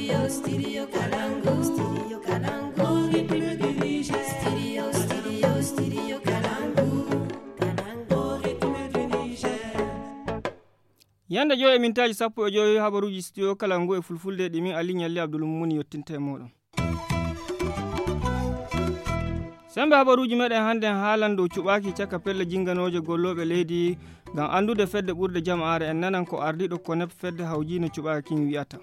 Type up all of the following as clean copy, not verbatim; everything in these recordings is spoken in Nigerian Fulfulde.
Studio Kalangu. Studio Kalangu. Studio Kalangu. Yanda joyi mintaji 15 habaruji studio Kalangu e fulfulde ɗimin Ali Nyalli Abdul Mumuni yottinta e moɗon. Sembe habaruji meɗen hande haalan dow cuɓaki caka pelle jinganoje golloɓe leydi ngam andude fedde ɓurde jama'are en nanan ko ardiɗo konep fedde hawjino cuɓaki wi'ata.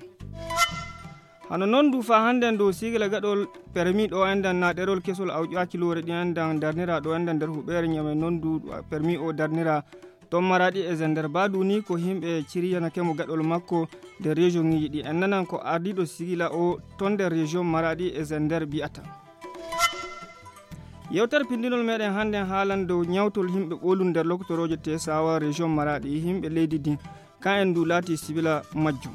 Hano non du fa handen dow sigla gaɗol permis ɗo endan na ɗerol kesol awƴaki lore ɗi endan darnira ɗo endan nder huɓere nyame non du permis o darnira ton Maradi e Zender badu ni ko himɓe ciriyanake mo gaɗol makko de région ngiji ɗi en nanan ko ardiɗo sigila o ton nder région Maradi e Zender bi'ata. Yewtere pindinol meɗen hande haalan dow nyawtol himɓe ɓolum nder lokotoroje Tesawa région Maradi himɓe leydi din kan en du laati sibila majjum.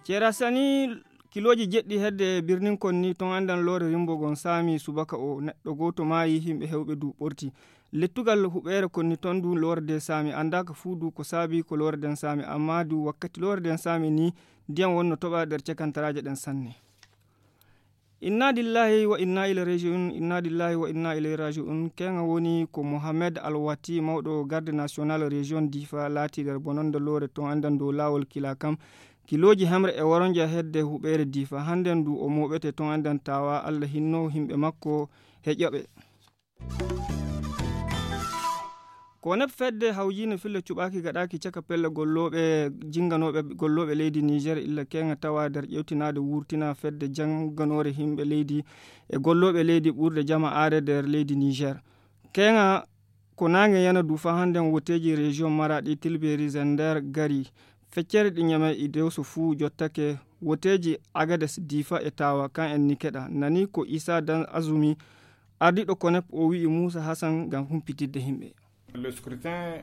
Ceera sani kiloji jeɗɗi hedde birnin konni ton andan lore rimbogon sami subaka o neɗɗo goto maayi himɓe hewɓe du ɓorti lettugal huɓere konni ton du lore de sami andaka fuu du ko saabi ko lore den sami amma du wakkati lore den sami ni ndiyam wonno toɓa nder cekantaraje ɗen sanne. Inna lillahi wa inna ilayhi raji'un. Inna lillahi wa inna ilayhi raji'un. Kenga woni ko Mohamed Alwati mawɗo garde national région Difa laati nder bononde lore ton andan dow lawol kila kam kiloji hamre e waronja hedde huɓere Difa handen du o moɓete ton andan tawa Allah hinno himɓe makko heƴoɓe. Ko neb fedde hawjino fille cuɓaki gaɗaki caka pelle golloɓe jinganoɓe golloɓe leydi Niger illa kenga tawa nder ƴewtinade wurtina fedde janganore himɓe leydi e golloɓe leydi ɓurde jama'are nder leydi Niger. Kenga ko nange yana du fa handen woteji région Maradi Tilberi Zender gari feccere ɗi nyame i dewso fuu jottake woteji Agades Difa e Tawa kan en ni keɗa nani ko Isa Dan Azumi ardiɗo konep o wi'i Musa Hassan ngam humpitidde himɓe. Le scrutin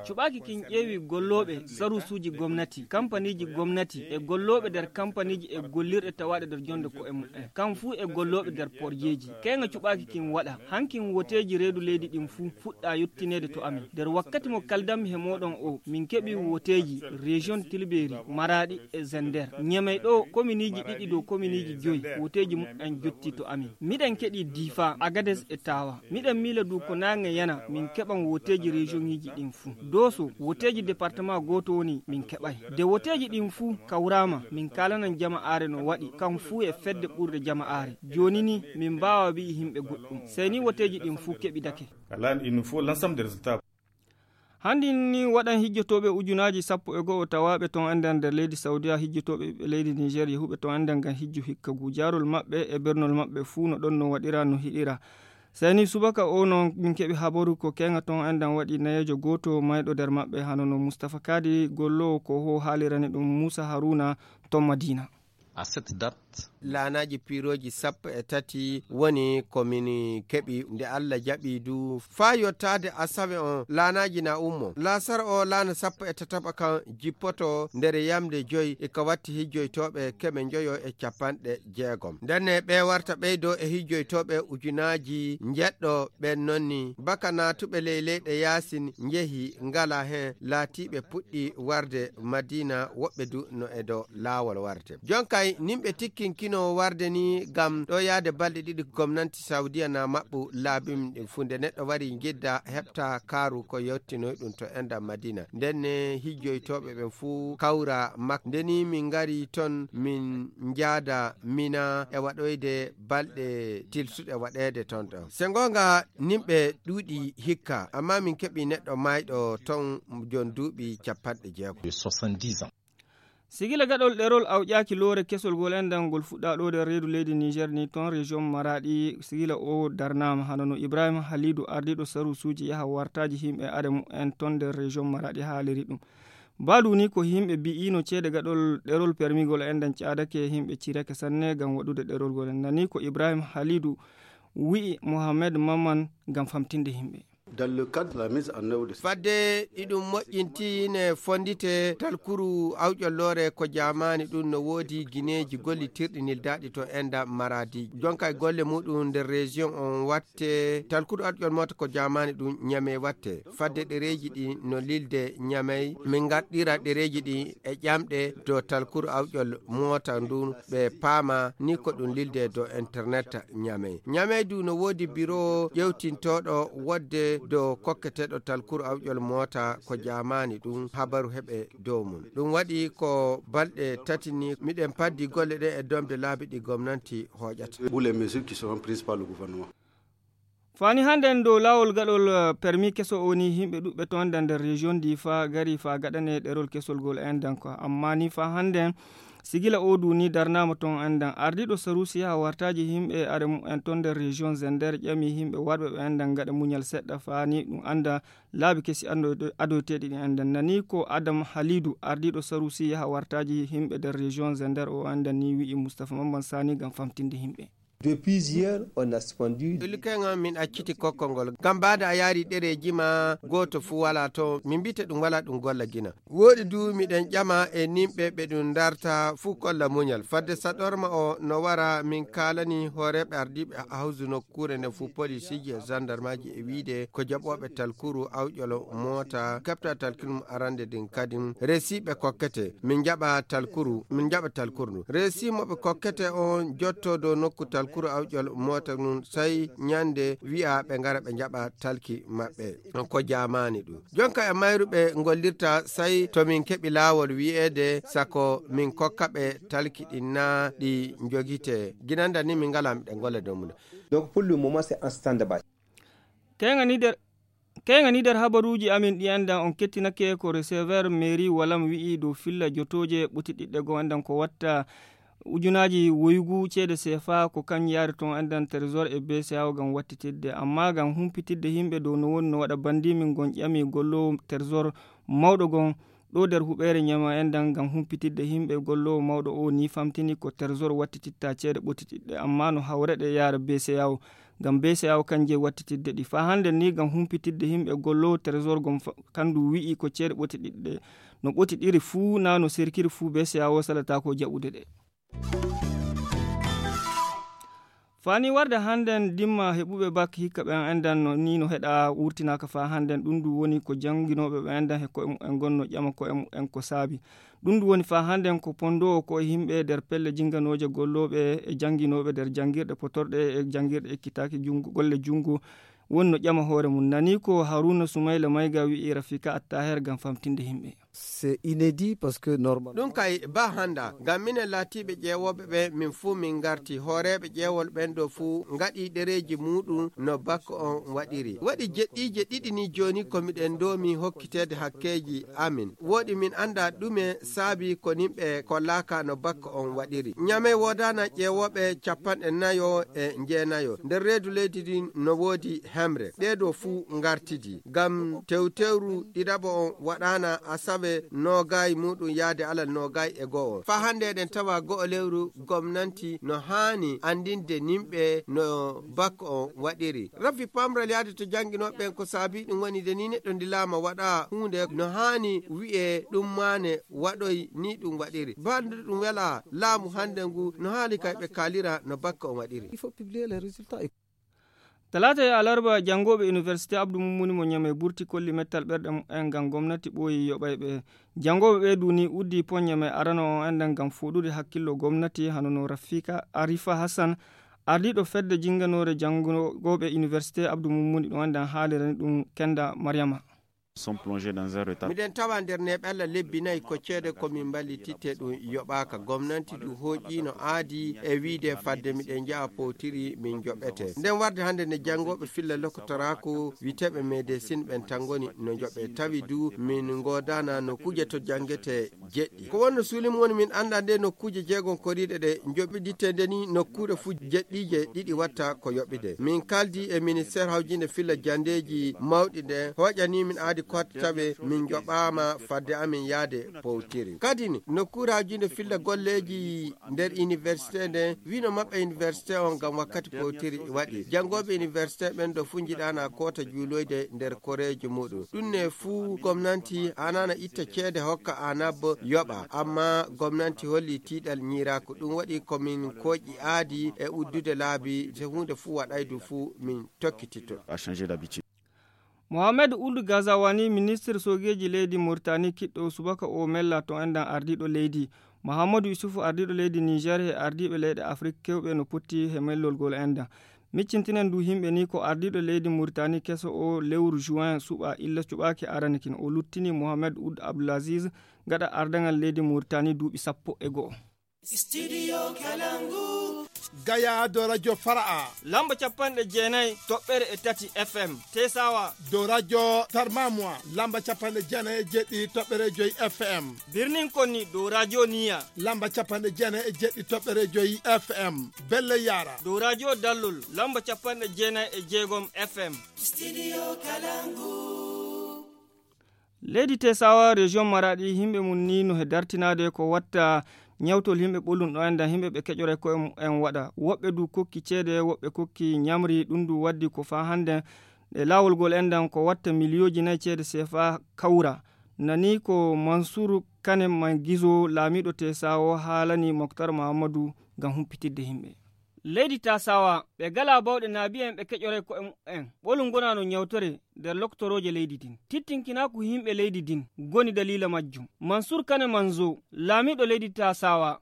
cuɓaki kin ƴeewi golloɓe sarusuji gomnati kampaniji gomnati e golloɓe nder kampaniji e gollirɗe tawaɗe nder jonde ko e mum'en kam fuu e golloɓe nder porjeji kenga cuɓaki kin waɗa hankin woteji reedu leydi ɗin fuu fuɗɗa yettinede to amin nder wakkati mo kaldammi he moɗon o min keɓi woteji région Tilberi Maradi e Zender ñamey ɗo kominiji ɗiɗi dow kominiji 5 woteji mum'en jotti to amin miɗen keɗi Difa Agades e Tawa miɗen miila du ko nange yana min keɓan woteji région ngiji ɗin fuu doso woteji département goto woni min keɓay de woteji ɗin fuu kawrama min kalanan jama'are no waɗi kam fuu e fedde ɓurde jama'are joni ni min mbawa wi himɓe goɗɗum sey ni woteji ɗin fuu keɓidake. il nous faut l'ensemble des résultats. Handi ni waɗan hijjotoɓe ujunaji 11 tawaɓe ton andan nder leydi Saudiya hijjotoɓe leydi Niger yehuɓe ton andan ngam hijju hikka gujarol maɓɓe e bernol maɓɓe fuu no ɗon no waɗira no hiɗira. Sani subaka o non min keɓi habaru ko kenga ton andan waɗi nayejo goto mayɗo nder maɓɓe hanono Mustafa Kadi gollowo ko ho haalirani ɗum Musa Haruna ton Madina. À cette date, laanaji piroji 13 woni komin keɓi nde Allah jaɓi du fa yottade asawe on laanaji na ummo lasar o laana 13 kan jippoto nder yamde 5 e ka watti hijjoytoɓe keɓe joyo e 60 ndenne ɓe warta ɓeydo e hijjoytoɓe ujunaji jeɗɗo ɓen nonni baka natuɓe ley leyɗe yasin jeehi ngala hen laatiɓe puɗɗi warde Madina woɓɓe du no e dow laawol warte jonkay nimɓe tikkinkino warde ni gam ɗo yaade balɗe 2 gomnati Saudiya na maɓɓu laabim funde neɗɗo wari gedda heɓta kaaru ko yettinoy ɗum to enda Madina ndenne hijjoytoɓe ɓen fuu kawra mak ndeni min ngari ton min jaada Mina e waɗoyde balɗe tilsuɗe waɗede ton ɗo sengonga nimɓe ɗuuɗi hikka amma min keɓi neɗɗo mayɗo ton jon duuɓi 70 ans. Sigila gaɗol ɗerol awƴaki lore kesol gol endan gol fuɗɗa ɗo nder reedu leydi Niger ni ton région Maradi sigila o darnama hanono Ibrahima Halidou ardiɗo sarusuji yaha wartaji himɓe ademu en ton nder région Maradi haaliri ɗum baɗu ni ko himɓe bi'ino ceede gaɗol ɗerol permis gol endan caadake himɓe cirake sanne gam waɗude ɗerol gol nani ko Ibrahima Halidou wi'i Mohamed Mamman gam famtinde himɓe. fadde ɗiɗum moƴƴinti ne fondite talkuru awƴollore ko jamani ɗum no woodi guineji gollitirɗi nildaɗi to enda maradi jonka e golle muɗum nder région on watte talkuru awƴol mota ko jamani ɗum ñame watte fadde ɗereji ɗi no lilde ñamay min gaɗɗira ɗereji ɗi e ƴamɗe do talkuru awƴol mota ndu ɓe paama ni ko ɗum lilde do internet ñamay du no woodi bureau ƴewtintoɗo wodde do kokketeɗo talkuru awƴol mota ko jamani ɗum habaru heɓe dow mum ɗum waɗi ko balɗe tati ni miɗen paddi golle ɗe e domde laabi ɗi gomnati hoƴata fani hande dow lawol gaɗol permis keso woni himɓe ɗuɓɓe to anda nder région difa gari fa gaɗane ɗerol kesol gol endan ko amma ni fa hande sigila odu ni darnama ton endan ardiɗo sarusi ha wartaji himɓe are en ton nder région zender ƴami himɓe warɓe ɓe endan gaɗa muñal seɗɗa fani ɗum anda laabi kesi adoteɗi ɗi endan nani ko adam halidou ardiɗo sarusi ha wartaji himɓe nder région zender o endan ni wi'i moustapha mamman sani gam famtinde himɓe. Depuis hier, on a suspendu. Ilkenga min acciti kokkongol gam bada a yaari ɗereji ma goto fu wala to min mbite ɗum wala ɗum golla gina woɗi du miɗen ƴama e nimɓe ɓe ɗum darta fu kolla muñal fadde saɗorma o no wara min kalani hooreɓe ardiɓe hawsu nokkure nde fu policiji e gendarmeji e wiide ko jaɓoɓe talkuru awƴolo mota kapta talkuru arande din kadim resiɓe kokkete min jaɓa talkuru nu resimoɓe kokkete on jotto do nokku talkuru awƴol mota nun sai nyande wi'a ɓe ngara ɓe jaɓa talki maɓɓe ko jamani ɗum jonka e mayruɓe gollirta sai to min keɓi lawol wi'ede sako min kokka ɓe talki ɗin na ɗi jogite ginanda ni min ngala miɗen golle dow mum. Donc pour le moment c'est en stand-by. Kengani nder habaruji amin ɗi andan on kettinake ko receveur mairie walam wi'i dow filla jotoje ɓutiɗiɗɗe go andan ko watta ujunaji woygu ceede CFA ko kan yaari ton andan trésor e BCAO gam wattitidde amma gam humpitidde himɓe dow no woni no waɗa bandimin gon ƴami gollowo trésor mawɗo gon ɗo nder huɓere ñama endan gam humpitidde himɓe gollowo mawɗo o ni famtini ko trésor wattititta ceede ɓotitiɗɗe amma no hawreɗe yaara BCAO gam BCAO kanje wattitidde ɗi fa hande ni gam humpitidde himɓe gollowo trésor gon kandu wi'i ko ceede ɓotiɗiɗɗe no ɓotiɗiri fuu na no serkiri fuu BCAO salata ko jaɓude ɗe. fani warde handen dimma heɓuɓe bak hikka ɓen endan no ni no heɗa wurtinaka fa handen ɗum du woni ko jangguinoɓe ɓe endan he ko en gonno ƴama ko en ko saabi ɗum du woni fa handen ko pondowo ko himɓe nder pelle jinganoje golloɓe e jangguinoɓe nder jangguirɗe potorɗe e jangguirɗe ekkitaki jungo golle jungo woni no ƴama hoore mum nani ko Haruna Soumaila Mayga wi'i Rafika Attaher gam famtinde himɓe. C'est inédit parce que normalement ɗum kay ba handa gam minen laatiɓe ƴeewoɓe ɓe min fuu min garti hooreɓe ƴeewol ɓen ɗo fuu gaɗi ɗereji muɗum no bakko on waɗiri waɗi jeɗɗije ɗiɗi ni joni komiɗen domi hokkitede hakkeji amin woɗi min anda ɗume saabi ko nimɓe kollaka no bakko on waɗiri ñame wodana ƴeewoɓe 49 e jeenayo nder reedu leydi din no woodi hemre ɗeɗo fuu gartidi gam tewtewru ɗiɗaɓo on waɗana asabe nogayi muɗum yaade alal nogayi e go'o fa hande eɗen tawa go'o lewru gomnanti no hani andinde nimɓe no bakko on waɗiri rafi pamral yaade to jangguinoɓe ko saabi ɗum woni de ni neɗɗo dilama waɗa hunde no hani wi'e ɗum mane waɗoy ni ɗum waɗiri bandude ɗum wela laamu hande ngu no haali kay ɓe kalira no bakko on waɗiri. il faut publier les résultats. talata e alarba jangoɓe université abdou mumuni mo ñame burti kolli mettal ɓerɗe en gam gomnati ɓooyi yoɓayɓe jangoɓe ɓe duni uddi poññame arano on endan gam fuɗude hakkillo gomnati hanono Rafika Arifa Hassan ardiɗo fedde jinganore jangoɓe université abdou mumuni ɗo endan haalirani ɗum Kenda Mariama. sont plongés dans un retard. Miɗen tawa nder neɓella lebbi nayi ko ceede komin ballititte ɗum yoɓaka gomnati ɗum hooƴi no aadi e wiide fadde miɗen jaa powtiri min joɓete nden warde hande ne janggoɓe filla lokotoraku witeɓe médecine ɓen tangoni no joɓe tawi du min godana nokkuje to jangguete jeɗɗi ko wonno suulim woni min anda nde nokkuje jeegon koriɗe ɗe joɓiditte ndeni nokkuɗe fu jeɗɗije ɗiɗi watta ko yoɓide min kaldi e ministére hawjinde filla jandeji mawɗi ɗe hoƴani min aadi kadi kottaɓe min joɓama fadde amin yaade powtiri. Kadi nokkuraji nde filla golleji nder université nde wino maɓɓe université on ngam wakkati powtiri waɗi. Jangoɓe université ɓen ɗo fu jiɗana kota juuloyde nder koreji muɗum. ɗum ne fuu gomnati anana itta ceede hokka anabbo yoɓa, amma gomnati holli tiiɗal ñiirako. ɗum waɗi komin koƴi aadi e uddude laabi so hunde fuu waɗaydu fuu min tokkitito. Mohamed Ould Ghazawani, ministre sogeji leydi Mauritanie kiɗɗo subaka o mella to endan ardiɗo leydi. Mahamadou Isufu ardiɗo leydi Niger e ardiɓe leyɗe Afrique kewɓe no potti he mellolgol endan. Miccintinen du himɓe ni ko ardiɗo leydi Mauritanie keso o lewru juin suɓa illa cuɓaki aranikin o luttini Mohamed Ould Abdelaziz gaɗa ardangal leydi Mauritanie duuɓi 11. Studio Kalangu. Gaya do radio Fara'a. Lamba 94.3 FM. Tesawa. Do radio Tarmamwa. Lamba 94.5 FM. Birnin Konni do radio Niya. Lamba 94.5 FM. Belle Yara. Do radio Dallol. Lamba 96 FM. Studio Kalangu. Leydi Tesawa region Maradi himɓe mun ni no he dartinade ko watta nyawtol himɓe ɓolum ɗo anda himɓe ɓe keƴore ko en waɗa. Woɓɓe du kokki ceede, woɓɓe kokki nyamri. ɗum du waddi ko fa hande e lawol gol endan ko watta milioji 4 ceede CFA kawra. Nani ko Mansour Kane Mangizo laamiɗo Tesawa haalani Moktar Mahamadou ngam humpitidde himɓe. Leydi Tasawa ɓe gala bawɗe naabi'en ɓe keƴore ko en ɓolum gonano nyawtore nder loktoroje leydi din. Tittinkina ko himɓe leydi din goni dalila majjum. Mansour Kane Manzo laamiɗo leydi Tasawa.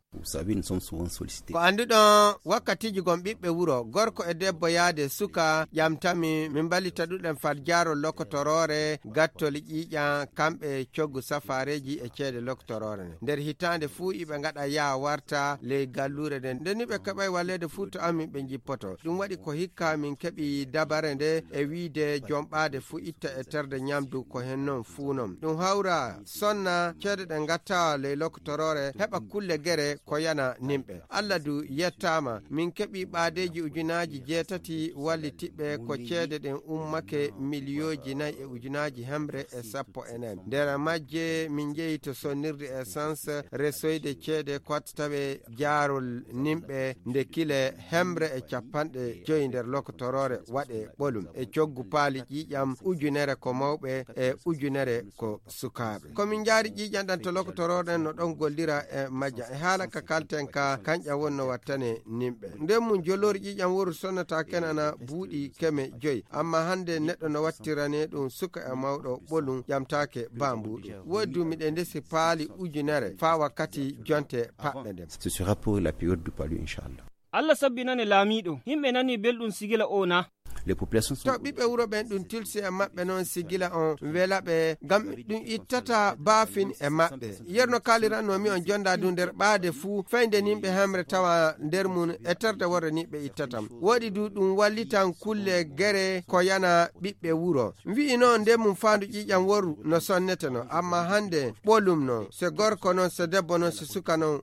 Ko anduɗon wakkatiji gon ɓiɓɓe wuro gorko e debbo yaade suka ƴamtami min ballita ɗuɗen fadjaro lokotorore gattol ƴiƴan kamɓe coggu safareji e ceede lokotorore nder hitande fuu iɓe gaɗa yaa warta ley gallure nden ndeni ɓe keɓay wallede fuu to amin ɓe jippoto. ɗum waɗi ko hikka min keɓi dabare nde e wiide jomɓade fuu itta e terde nyamdu ko hen non fuu non. ɗum hawra sonna ceede ɗe gatta ley lokotorore heɓa kulle gere ko yana nimɓe. Allah du yettama min keɓi ɓaadeji ujunaji 7 wallitiɓɓe ko ceede ɗen ummake milioji 4 e ujunaji hemre e 14. nder majje min jeeyi to sonnirde essence resoyde ceede kottaɓe jaarol nimɓe nde kile hemre e 50 nder lokotorore waɗe ɓolum e coggu paali ƴiƴam ujunere ko mawɓe e ujunere ko sukaɓe. komin jaari ƴiƴam ɗan to lokotorore no ɗon gollira e majja e haala ka kalten ka kanƴa wonno wattane nimɓe. nden mum jolori ƴiƴam woru sonnata kenana buuɗi keme 5 amma hande neɗɗo no wattirane ɗum suka e mawɗo ɓolum ƴamtake bambuɗum. woodi dumiɗe ndesi paali ujunere fa wakkati jonte paɓɓe nden. Ce sera pour la période du palu inchallah. Allah sabbinane laamiɗo himɓe nani belɗum sigila o na. Les populations sont... to ɓiɓɓe wuro ɓen ɗum tilsi e maɓɓe noon sigila on wela ɓe ngam ɗum ittata baafin e maɓɓe. yerno kalirannomi on jonda du nder ɓaade fuu feyde nimɓe hemre tawa nder mum e terde worre niɓe ittatam. woɗi du ɗum wallitan kulle gere ko yana ɓiɓɓe wuro. wi'i noon nde mum faandu ƴiƴam woru no sonnete no amma hande ɓolum noon so gorko noon so debbo noon so suka noon.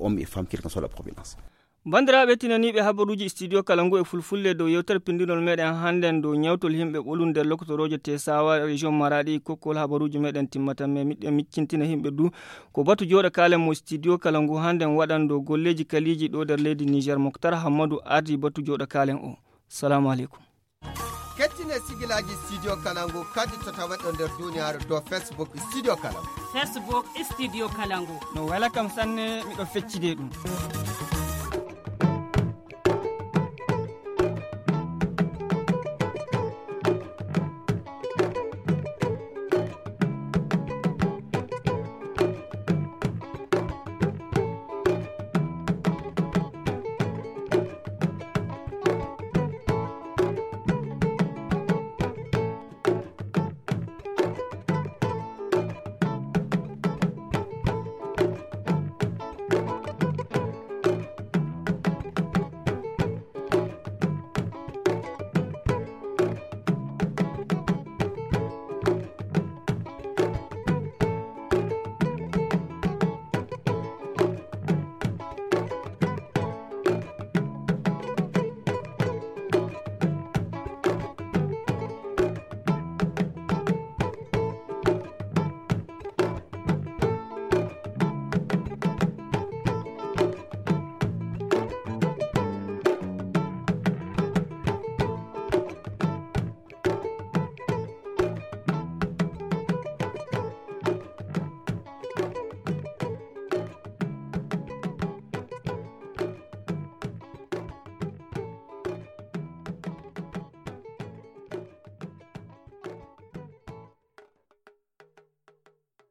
Hommes et femmes, quelle que soit la provenance. bandiraɓe tinaniɓe habaruji studio Kalangu e fulfulde dow yewtere pindinol meɗen hannden dow nyawtol himɓe ɓolum nder lokotoroje Tesawa région Maradi kokkol habaruji meɗen timmata me miɗen miccintina himɓe du ko batu joɗa kalen mo studio Kalangu hannden waɗan dow golleji kaliji ɗo nder leydi Niger. Moktar Hammadou ardi batu joɗa kalen o. Salamu aleykum. kettine sigilaji studio Kalangu kadi to tawaɗo nder duniyaaru dow Facebook studio Kalangu. Facebook studio Kalangu. no wala kam sanne miɗo feccide ɗum.